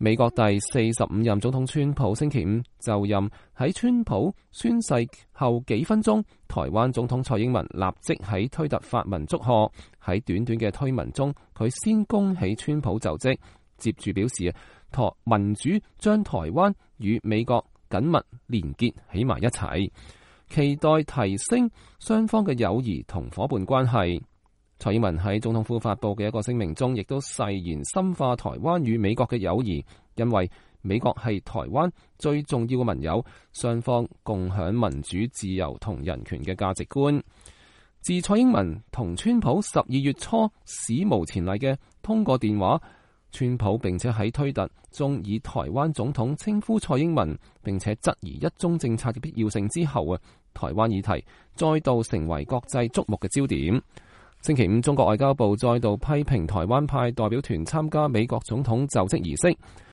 美國第45任總統川普星期五就任，喺川普宣誓後幾分鐘，台灣總統蔡英文立即喺推特發文祝賀。喺短短嘅推文中，佢先恭喜川普就職，接住表示民主將台灣與美國緊密連結起埋一齊，期待提升雙方嘅友誼同夥伴關係。蔡英文喺總統府發佈嘅一個聲明中，亦都誓言深化台灣與美國嘅友誼，因為美國係台灣最重要嘅盟友，雙方共享民主、自由同人權嘅價值觀。自蔡英文同川普12月初史無前例嘅通過電話，川普並且喺推特中以台灣總統稱呼蔡英文，並且質疑一中政策嘅必要性之後，台灣議題再度成為國際矚目嘅焦點。星期五，中國外交部再度批評台灣派代表團參加美國總統就職儀式。